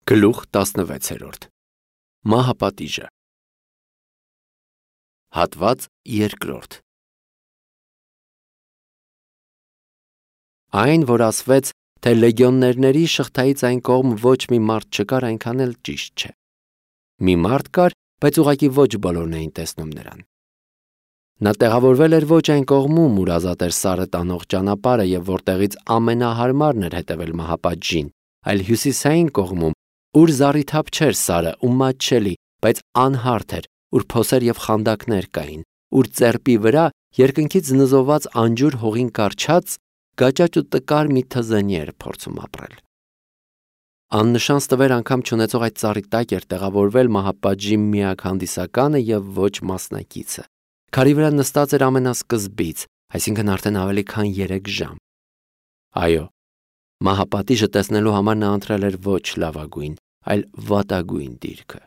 Գլուխ 16 Մահապատիժը Հատված 2 Այն, որ ասվեց, թե լեգիոններների շղթայից այն կողմ ոչ մի մարդ չկար, այնքան էլ ճիշտ չէ։ Մի մարդ կար, բայց ուղղակի ոչ բոլորն էին տեսնում նրան։ Նա տեղավորվել էր ոչ այն կողմում, ուր ազատ էր սարը տանող ճանապարհը եւ որտեղից ամենահարմարն էր հետևել մահապատժին, այլ հյուսիսային կողմում, ուր զառիթափ չէր սարը ու մատչելի, բայց անհարթ էր, ուր փոսեր եւ խանդակներ կային, ուր ծերպի վրա երկնքից նզոված անջուր հողին կառչած գաճաճ ու տկար մի թզենի էր փորձում ապրել։ Աննշան ստվեր անգամ չունեցող այդ ծառի տակ էր տեղավորվել մահապատժի միակ հանդիսականը եւ ոչ մասնակիցը։ Քարի վրա նստած էր ամենասկզբից, այսինքն արդեն ավելի քան 3 ժամ։ Այո, մահապատիժը տեսնելու համար նա ընտրել էր ոչ լավագույն, այլ վատագույն դիրքը։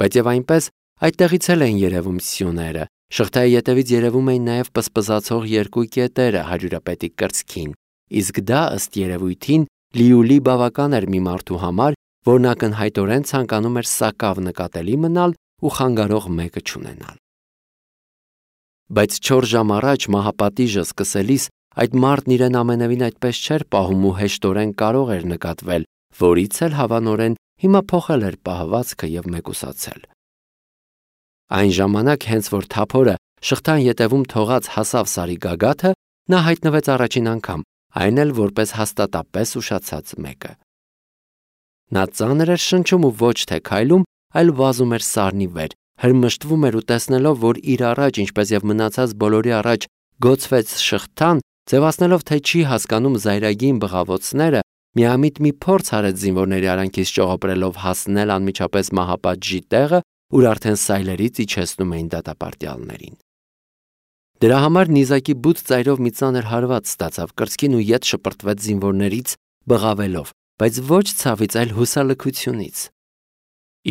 Բայց եւ այնպես այդտեղից էլ էին երևում սյուները, շղթայի ետևից երևում էին նաեւ պսպզացող երկու կետերը հարյուրապետի կրծքին, իսկ դա ըստ երևույթին լիուլի բավական էր մի մարդու համար, որն ակնհայտորեն ցանկանում էր սակավ նկատելի մնալ ու խանգարող մեկը չունենալ։ Բայց 4 ժամ առաջ մահապատիժը սկսելիս այդ մարդն իրեն ամենևին այդպես չէր պահում ու հեշտորեն կարող էր նկատվել, որից էլ հավանորեն հիմա փոխել էր պահվածքը եւ մեկուսացել։ Այն ժամանակ, հենց որ թափորը շղթան ետևում թողած հասավ սարի գագաթը, նա հայտնվեց առաջին անգամ, այն էլ որպես հաստատապես ուշացած մեկը։ Նա ծանր էր շնչում ու ոչ թե քայլում, այլ վազում էր սարնի վեր, հրմշտվում էր ու տեսնելով, որ իր առաջ, ինչպես եւ մնացած բոլորի առաջ, գոցվեց շղթան, ձևացնելով, թե չի հասկանում զայրագին բղավոցները, միամիտ մի փորձ արեց զինվորների արանքից ճողոպրելով հասնել անմիջապես մահապատժի տեղը, ուր արդեն սայլերից իջեցնում էին դատապարտյալներին։ Դրա համար նիզակի բութ ծայրով մի ծանր հարված ստացավ կրծքին ու ետ շպրտվեց զինվորներից, բղավելով, բայց ոչ ցավից, այլ հուսալքությունից։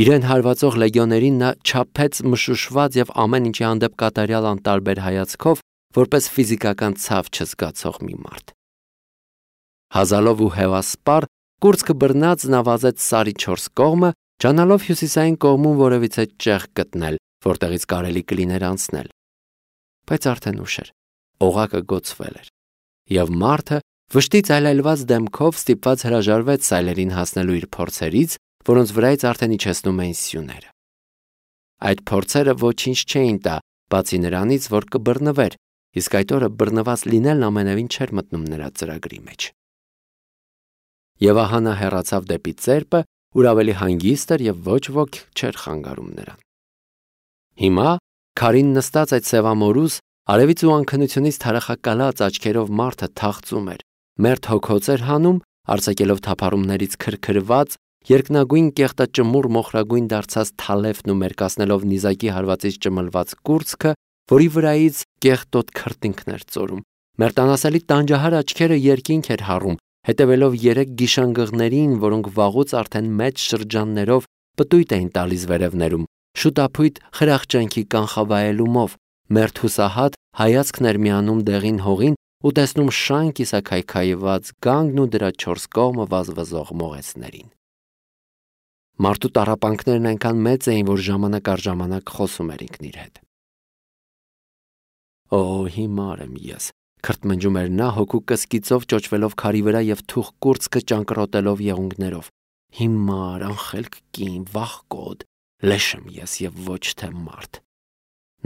Իրեն հարվածող լեգիոներին նա չափեց մշուշված եւ ամեն ինչի հանդեպ կատարյալ անտարբեր հայացքով, որպես ֆիզիկական ցավ չզգացող մի մարդ։ Հազալով ու հևասպար, կուրծքը բռնած նա վազեց սարի 4 կողմը, ճանալով հյուսիսային կողմում որևիցե ճեղ գտնել, որտեղից կարելի կլիներ անցնել։ Բայց արդեն ուշ էր, օղակը գոցվել էր, եւ մարդը վշտից այլայլված դեմքով ստիպված հրաժարվեց սայլերին հասնելու իր փորձերից, որոնց վրայից արդեն իջեցնում էին սյուները։ Այդ փորձերը ոչինչ չէին տա, բացի նրանից, որ կբռնվեր, իսկ այդ օրը բռնված լինելն ամենևին չէր մտնում նրա ծրագրի մեջ։ Եվ ահա նա հեռացավ դեպի ծերպը, ուր ավելի հանգիստ էր եւ ոչ ոք չէր խանգարում նրան։ Հիմա քարին նստած այդ սևամորուս, արևից ու անքնությունից թարախակալած աչքերով մարդը թախծում էր, մերթ հոգոց էր հանում, արձակելով թափառումներից քրքրված, երկնագույն կեղտաճմուռ մոխրագույն դարձած թալեֆն ու մերկացնելով նիզակի հարվածից ճմլված կուրծքը, որի վրայից կեղտոտ քրտինքներ ծորում։ Մերտանասելի տանջահար աչքերը երկինք էր հառում, հետևելով 3 գիշանգղներին, որոնք վաղուց արդեն մեծ շրջաններով պտույտ էին տալիս վերևներում, շուտափույթ խրախճանքի կանխավայելումով, մերթ հուսահատ հայացքն էր միանում դեղին հողին ու տեսնում շան կիսաքայքայված գանգն ու դրա 4 կողմը վազվզող մողեցներին։ Մարդու տառապանքներն այնքան մեծ էին, որ ժամանակ առ ժամանակ խոսում էր ինքն իր հետ։ Օ, հիմար եմ ես, քրթմնջում էր նա հոգու կսկիծով ճոճվելով քարի վրա եւ թուխ կուրծքը ճանկռոտելով եղունգներով։ Հիմար, անխելք կին, վախկոտ, լեշ եմ ես եւ ոչ թե մարդ։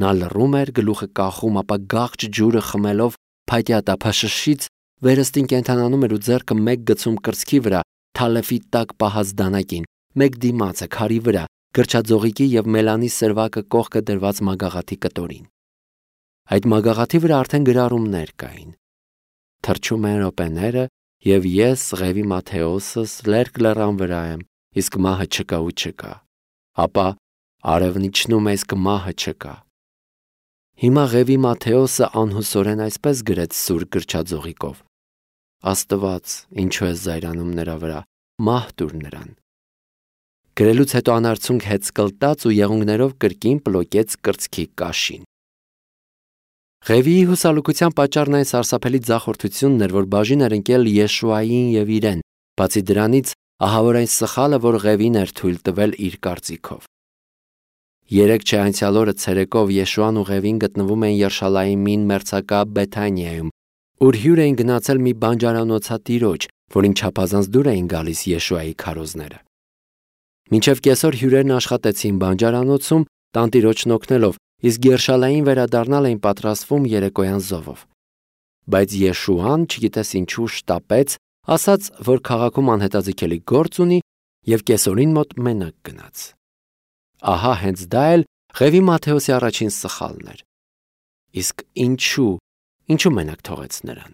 Նա լռում էր, գլուխը կախում, ապա գաղճ ջուրը խմելով փայտյա տափաշշից վերստին կենթանանում էր ու ձեռքը մեկ գցում կրծքի վրա, թալեֆի տակ պահած դանակին, մեկ դիմացը քարի վրա, գրչաձողիկի եւ մելանի սրվակը կողքը դրված մագաղաթի կտորին։ Այդ մագաղաթի վրա արդեն գրառումներ կային։ Թրջում են րոպեները, եւ ես, Ղևի Մաթեոսս, լերկ լեռան վրա եմ, իսկ մահը չկա ու չկա։ Ապա արևն իջնում է, իսկ մահը չկա։ Հիմա Ղևի Մաթեոսը անհուսորեն այսպես գրեց սուր գրչաձողիկով. Աստված, ինչու է զայրանում նրա վրա, մահ տուր նրան։ Գրելուց հետո անարցունք հեծկլտաց ու եղունգներով կրկին պլոկեց կրծքի կաշին։ Ղևիի հուսալուկության պատճառն այն սարսափելի ձախորդությունն էր, որ բաժին էր ընկել Յեշուային եւ իրեն, բացի դրանից ահա որ այն սխալը, որ Ղևին էր թույլ տվել իր կարծիքով։ Երեք չէ անցյալ օրը ցերեկով Եշուան ու Ղևին գտնվում էին Երշալայիմին մերձակա Բեթանիայում, ուր հյուր էին գնացել մի բանջարանոցատիրոջ, որին չափազանց դուր էին գալիս Եշուայի քարոզները։ Մինչև կեսօր հյուրերն աշխատեցին բանջարանոցում, տանտիրոջն օգնելով, իսկ Երշալային վերադառնալ էին պատրաստվում երեկոյան զովով։ Բայց Եշուան, չգիտես ինչու, շտապեց, ասաց, որ քաղաքում անհետաձգելի գործ ունի եւ կեսօրին մոտ մենակ գնաց։ Ահա հենց դա էլ Ղևի Մատթեոսի առաջին սխալն էր։ Իսկ ինչու մենակ թողեց նրան։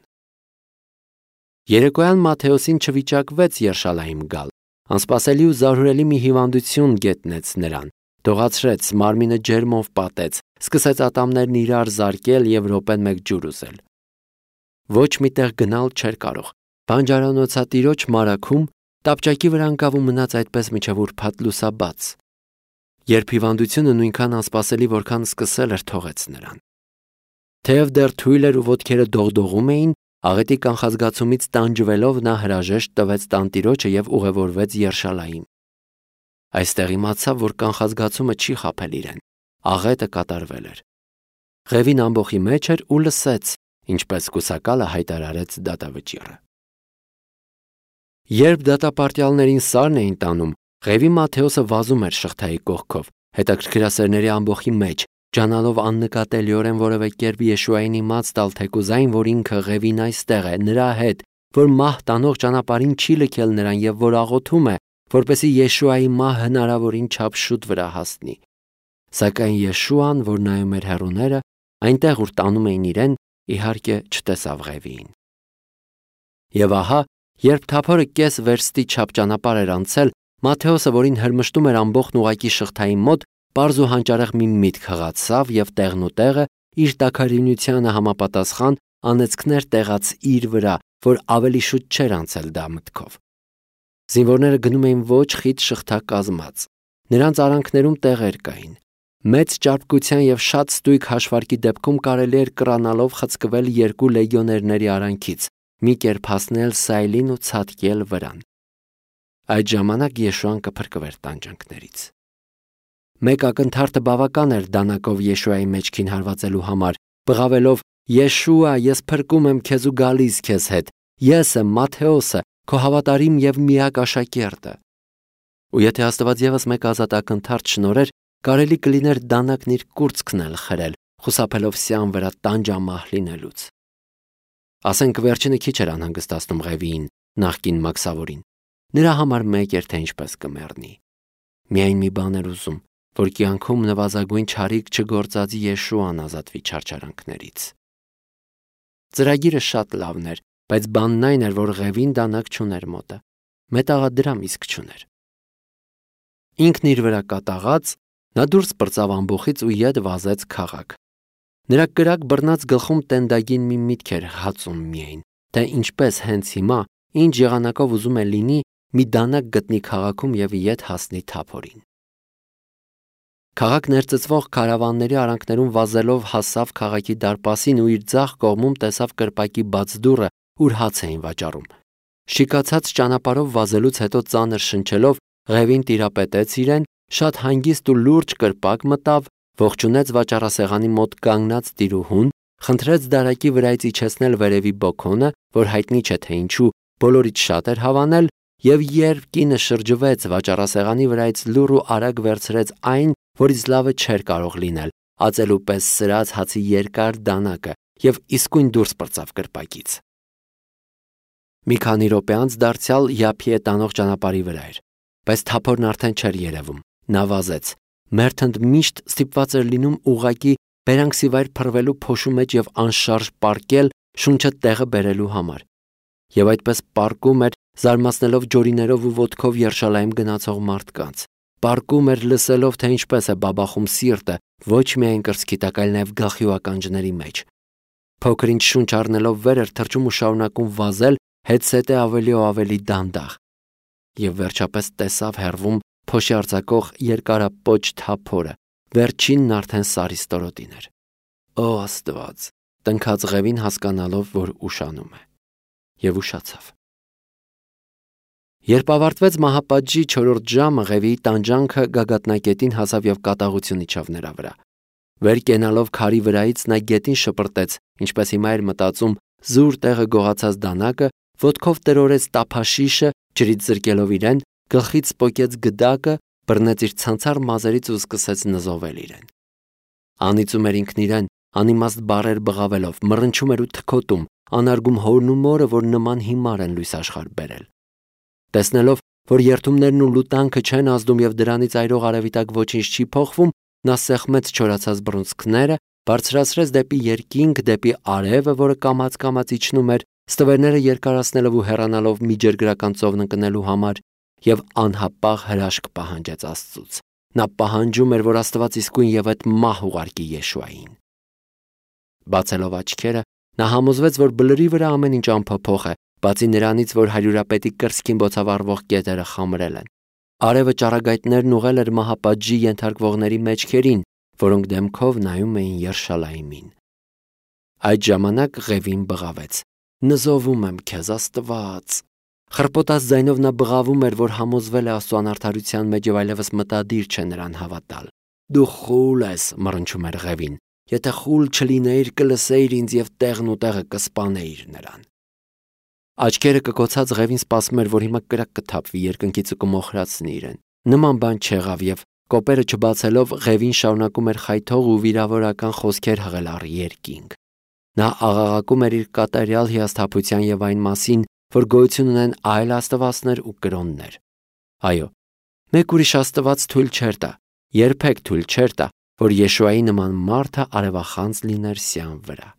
Երեկոյան Մատթեոսին չվիճակվեց Երշալայիմ գալ, անսպասելի ու զարհուրելի մի հիվանդություն գետնեց նրան, դողացրեց, մարմինը ջերմով պատեց, սկսեց ատամներն իրար զարկել եւ րոպեն մեկ ջուր ուզել։ Ոչ միտեղ գնալ չէր կարող։ Բանջարանոցատիրոջ մարաքում տապճակի վրա ընկավ ու մնաց այդպես մինչև ուրբաթ լուսաբաց։ Երբ հիվանդությունը նույնքան անսպասելի, որքան սկսել էր, թողեց նրան։ Թեև դեռ թույլ էր ու ոտքերը դողդողում էին, աղետի կանխազգացումից տանջվելով նա հրաժեշտ տվեց տանտիրոջը եւ ուղևորվեց Երշալայիմ։ Այստեղ իմացավ, որ կանխազգացումը չի խաբել իրեն։ Աղետը կատարվել էր։ Ղևին ամբոխի մեջ էր ու լսեց, ինչպես կուսակալը հայտարարեց դատավճիռը։ Երբ դատապարտյալներին սարն էին տանում, Ղևի Մատթեոսը վազում էր շղթայի կողքով, հետաքրքրասերների ամբոխի մեջ, ջանալով աննկատելիորեն որևէ կերպ Եշուային իմաց տալ թեկուզային, որ ինքը Ղևին այստեղ է, նրա հետ, որ մահ տանող ճանապարհին չի լքել նրան եւ որ աղոթում է, որպեսզի Եշուայի մահ հնարավորին չափ շուտ վրա հասնի։ Սակայն Եշուան, որ նայում էր հեռուները, այնտեղ ուր տանում էին իրեն, իհարկե չտեսավ Ղևիին։ Եվ ահա, երբ թափորը կես վերստի չափ ճանապարհ էր անցել, Մատթեոսը, որին հրմշտում էր ամբողջն ուղակի շղթայի մոտ, պարզ ու հանճարեղ մի միտք հղացավ եւ տեղնուտեղը իր տաքարյունությանը համապատասխան անեծքներ տեղաց իր վրա, որ ավելի շուտ չէր անցել դա մտքով։ Զինվորները գնում էին ոչ խիտ շղթա կազմած։ Նրանց արանքներում տեղեր կային։ Մեծ ճարպկության եւ շատ ստույգ հաշվարկի դեպքում կարելի էր կռանալով խցկվել 2 լեգիոներների արանքից, մի կերպ հասնել Սայլին ու ցատկել վրան։ Այդ ժամանակ Եշուան կփրկվեր տանջանքներից։ Մեկ ակնթարթը բավական էր դանակով Եշուայի մեջքին հարվածելու համար, բղավելով. «Եշուա, ես փրկում եմ քեզ ու գալիս քեզ հետ։ Ես եմ Մատթեոսը, քո հավատարիմ եւ միակ աշակերտը»։ Ու եթե Աստված եւս մեկ ազատ ակնթարթ շնորհեր, կարելի կլիներ դանակն իր կուրծքն էլ խրել, խուսափելով սյան վրա տանջամահ լինելուց։ Ասենք վերջինը քիչ էր անհանգստացնում Ղևիին, նախկին մաքսավորին։ Նրա համար մեկ էր, թե ինչպես կմեռնի։ Միայն մի բան էր ուզում, որ կյանքում նվազագույն չարիք չգործածի Եշուան ազատվի չարչարանքներից։ Ծրագիրը շատ լավն էր, բայց բանն այն էր, որ Ղևին դանակ չուներ մոտը, մետաղադրամ իսկ չուներ։ Ինքն իր վրա կատաղած, նա դուրս պրծավ ամբոխից ու ետ վազեց քաղաք։ Նրա կրակ բռնած գլխում տենդագին մի միտք էր հացում միայն, թե ինչպես հենց հիմա, ինչ եղանակով ուզում է լինի, մի դանակ գտնի քաղաքում եւ ետ հասնի թափորին։ Քաղաք ներծծվող քարավանների արանքներում վազելով հասավ քաղաքի դարպասին ու իր ձախ կողմում տեսավ կրպակի բաց դուռը, ուր հաց էին վաճառում։ Շիկացած ճանապարհով վազելուց հետո ծանր շնչելով Ղևին տիրապետեց իրեն, շատ հանգիստ ու լուրջ կրպակ մտավ, ողջունեց վաճառասեղանի մոտ կանգնած տիրուհուն, խնդրեց դարակի վրայից իջեցնել վերևի բոքոնը, որ հայտնի չէ թե ինչու բոլորից շատ էր հավանել, եւ երբ կինը շրջվեց վաճառասեղանի վրայից լուռ ու արագ վերցրեց այն, որից լավը չէր կարող լինել, ածելու պես սրած հացի երկար դանակը եւ իսկույն դուրս պրծավ կրպակից։ Մի քանի րոպե անց դարձյալ Յափիե տանող ճանապարհի վրա էր, բայց թափորն արդեն չէր երևում։ Նա վազեց։ Մերթընդ միշտ ստիպված էր լինում ուղակի բերանքսիվայր փռվելու փոշու մեջ եւ անշարժ պառկել շունչը տեղը բերելու համար։ Եվ այդպես պառկում էր, զարմացնելով ջորիներով ու ոտքով Երշալայիմ գնացող մարդկանց։ Պառկում էր լսելով, թե ինչպես է բաբախում սիրտը, ոչ միայն կրծքի տակ, այլ նաև գլխի ու ականջների մեջ։ Փոքր-ինչ շունչ առնելով վեր էր թռչում ու շարունակում վազել, հետսետե ավելի ու ավելի դանդաղ։ Եվ վերջապես տեսավ հեռվում փոշի արձակող երկարապոչ թափորը, վերջինն արդեն Սարի ստորոտին էր։ Օ Աստված, տնքաց Ղևին հասկանալով, որ ուշանում է։ Եվ ուշացավ։ Երբ ավարտվեց մահապատժի 4-րդ ժամը, Ղևիի տանջանքը գագաթնակետին հասավ եւ կատաղություն իջավ նրա վրա։ Վեր կենալով քարի վրայից նա գետին շպրտեց, ինչպես հիմա էր մտածում, զուր տեղը գողացած դանակը, ոտքով տրորեց տափաշիշը, ջրից զրկելով իրեն, գլխից սպոկեց գդակը, բռնեց իր ցանցառ մազերից ու սկսեց նզովել իրեն։ Անիծում էր ինքն իրեն, անիմաստ բառեր բղավելով, մռնչում էր ու թքոտում, անարգում հորն ու մորը, որ նման հիմար են լույս աշխարհ բերել։ Տեսնելով, որ երթումներն ու լուտանքը չեն ազդում եւ դրանից այրող արևիտակ ոչինչ չի փոխվում, նա սեղմեց չորացած բռունցքները, բարձրացրեց դեպի երկինք, դեպի արևը, որը կամաց-կամաց իջնում էր, ստվերները երկարացնելով ու հեռանալով միջերգրական ծովն ընկնելու համար, եւ անհապաղ հրաշք պահանջեց Աստծուց։ Նա պահանջում էր, որ Աստված իսկույն եւ այդ մահ ուղարկի Եշուային։ Բացելով աչքերը, նա համոզվեց, որ բլրի վրա ամեն ինչ անփոփոխ է, բացի նրանից, որ հարյուրապետի կրծքին բոցավառվող կետերը խամրել են։ Արևը ճառագայթներն ուղղել էր մահապատժի ենթարկվողների մեջքերին, որոնք դեմքով նայում էին Երշալայիմին։ Այդ ժամանակ Ղևին բղավեց. «Նզովում եմ քեզ, Աստված»։ Խռպոտած ձայնով նա բղավում էր, որ համոզվել է Աստծո անարդարության մեջ եւ այլևս մտադիր չէ նրան հավատալ։ «Դու խուլ ես», մռնչում էր Ղևին։ «Եթե խուլ չլինեիր, կլսեիր ինձ եւ տեղն ու տեղը կսպանեիր նրան»։ Աչքերը կկոցած Ղևին սպասում էր, որ հիմա կրակ կթափվի երկնքից ու կմոխրացնի իրեն։ Նման բան չեղավ եւ կոպերը չբացելով Ղևին շարունակում էր խայթող ու վիրավորական խոսքեր հղել առ երկինք։ Նա աղաղակում էր իր կատարյալ հիասթափության եւ այն մասին, որ գոյություն ունեն այլ աստվածներ ու կրոններ։ Այո, մեկ ուրիշ աստված թույլ չէր տա, երբեք թույլ չէր տա, որ Եշուայի նման մարդը արևախանձ լիներ սյան վրա։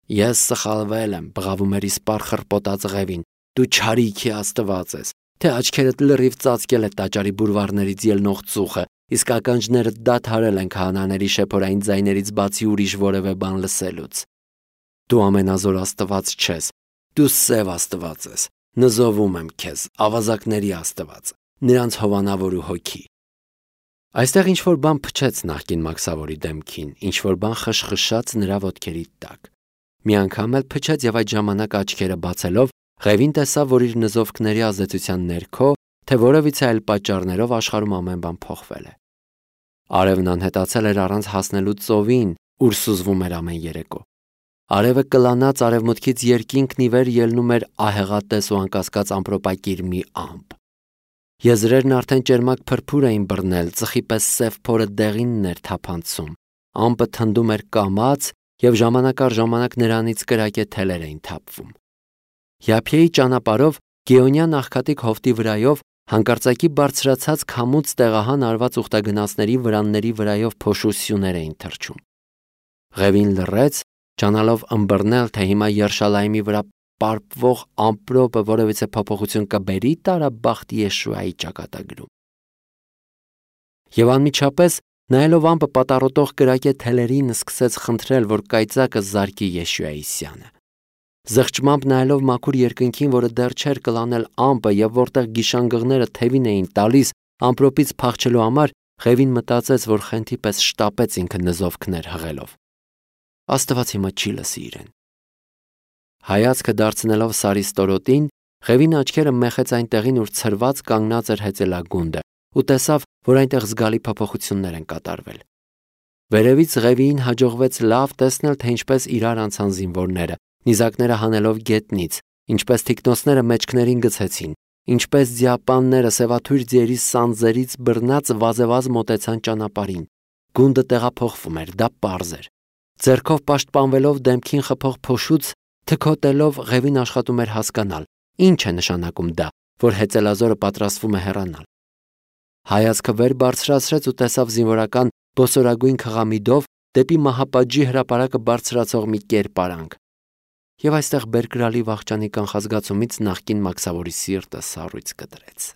Ես սխալվել եմ, բղավում էր իսպառ խռպոտած Ղևին։ Դու չարիքի աստված ես, թե աչքերդ լրիվ ծածկել է տաճարի բուրվարներից ելնող ծուխը, իսկ ականջները դադարել են քահանաների շեփորային ձայներից բացի ուրիշ որևէ բան լսելուց։ Դու ամենազոր աստված չես, դու սև աստված ես, նզովում եմ քեզ, ավազակների աստված, նրանց հովանավոր ու հոգի։ Այստեղ ինչ-որ բան փչեց նախկին մաքսավորի դեմքին, ինչ-որ բան խշխշաց նրա ոտքերի տակ։ Մի անգամ էլ փչեց եւ այդ ժամանակ աչքերը բացելով Ղևին տեսավ, որ իր նզովքների ազդեցության ներքո, թե որևիցե այլ պատճառներով աշխարհում ամեն բան փոխվել է։ Արևն անհետացել էր առանց հասնելու ծովին, ուր սուզվում էր ամեն երեկո։ Արևը կլանած արևմուտքից երկինքն ի վեր ելնում էր ահեղատես ու անկասկած ամպրոպակիր մի ամպ։ Եզրերն արդեն ճերմակ փրփուր էին բռնել, ծխի պես սև փորը դեղինն էր թափանցում։ Ամպը թնդում էր կամաց եւ ժամանակ առ ժամանակ նրանից կրակե թելեր էին թափվում։ Յափիեի ճանապարհով Գեոնյան աղքատիկ հովտի վրայով հանկարծակի բարձրացած քամուց տեղահան արված ուխտագնացների վրանների վրայով փոշու սյուներ էին թռչում։ Ղևին լռեց, ճանալով ըմբռնել, թե հիմա Երշալայիմի վրա պարպվող ամպրոպը որևիցե փոփոխություն կբերի տարաբախտ Եշուայի ճակատագրում։ Եվ անմիջապես, նայելով ամպը պատառոտող կրակե թելերին, սկսեց խնդրել, որ կայծակը զարկի Եշուայի սյանը։ Զղջմամբ նայելով մաքուր երկնքին, որը դեռ չէր կլանել ամպը եւ որտեղ գիշանգղները թևին էին տալիս ամպրոպից փախչելու համար, Ղևին մտածեց, որ խենթի պես շտապեց ինքը նզովքներ հղելով։ Աստված հիմա չի լսի իրեն։ Հայացքը դարձնելով Սարի ստորոտին, Ղևին աչքերը մեխեց այնտեղին, ուր ցրված կանգնած էր հեծելագունդը, ու տեսավ, որ այնտեղ զգալի փոփոխություններ են կատարվել։ Վերևից Ղևիին հաջողվեց լավ տեսնել, թե ինչպես իրար անցան զինվորները, նիզակները հանելով գետնից, ինչպես թիկնոցները մեջքներին գցեցին, ինչպես ձիապանները սևաթույր ձիերի սանձերից բռնած վազեվազ մոտեցան ճանապարհին։ Գունդը տեղափոխվում էր, դա պարզ էր։ Ձեռքով պաշտպանվելով դեմքին խփող փոշուց, թքոտելով Ղևին աշխատում էր հասկանալ, ինչ է նշանակում դա, որ հեծելազորը պատրաստվում է հեռանալ։ Հայացքը վեր բարձրացրեց ու տեսավ զինվորական բոսորագույն քղամիդով դեպի մահապատժի հրապարակը բարձրացող մի կերպարանք։ Եվ այստեղ բերկրալի վախճանի կանխազգացումից նախկին մաքսավորի սիրտը սառույց կտրեց։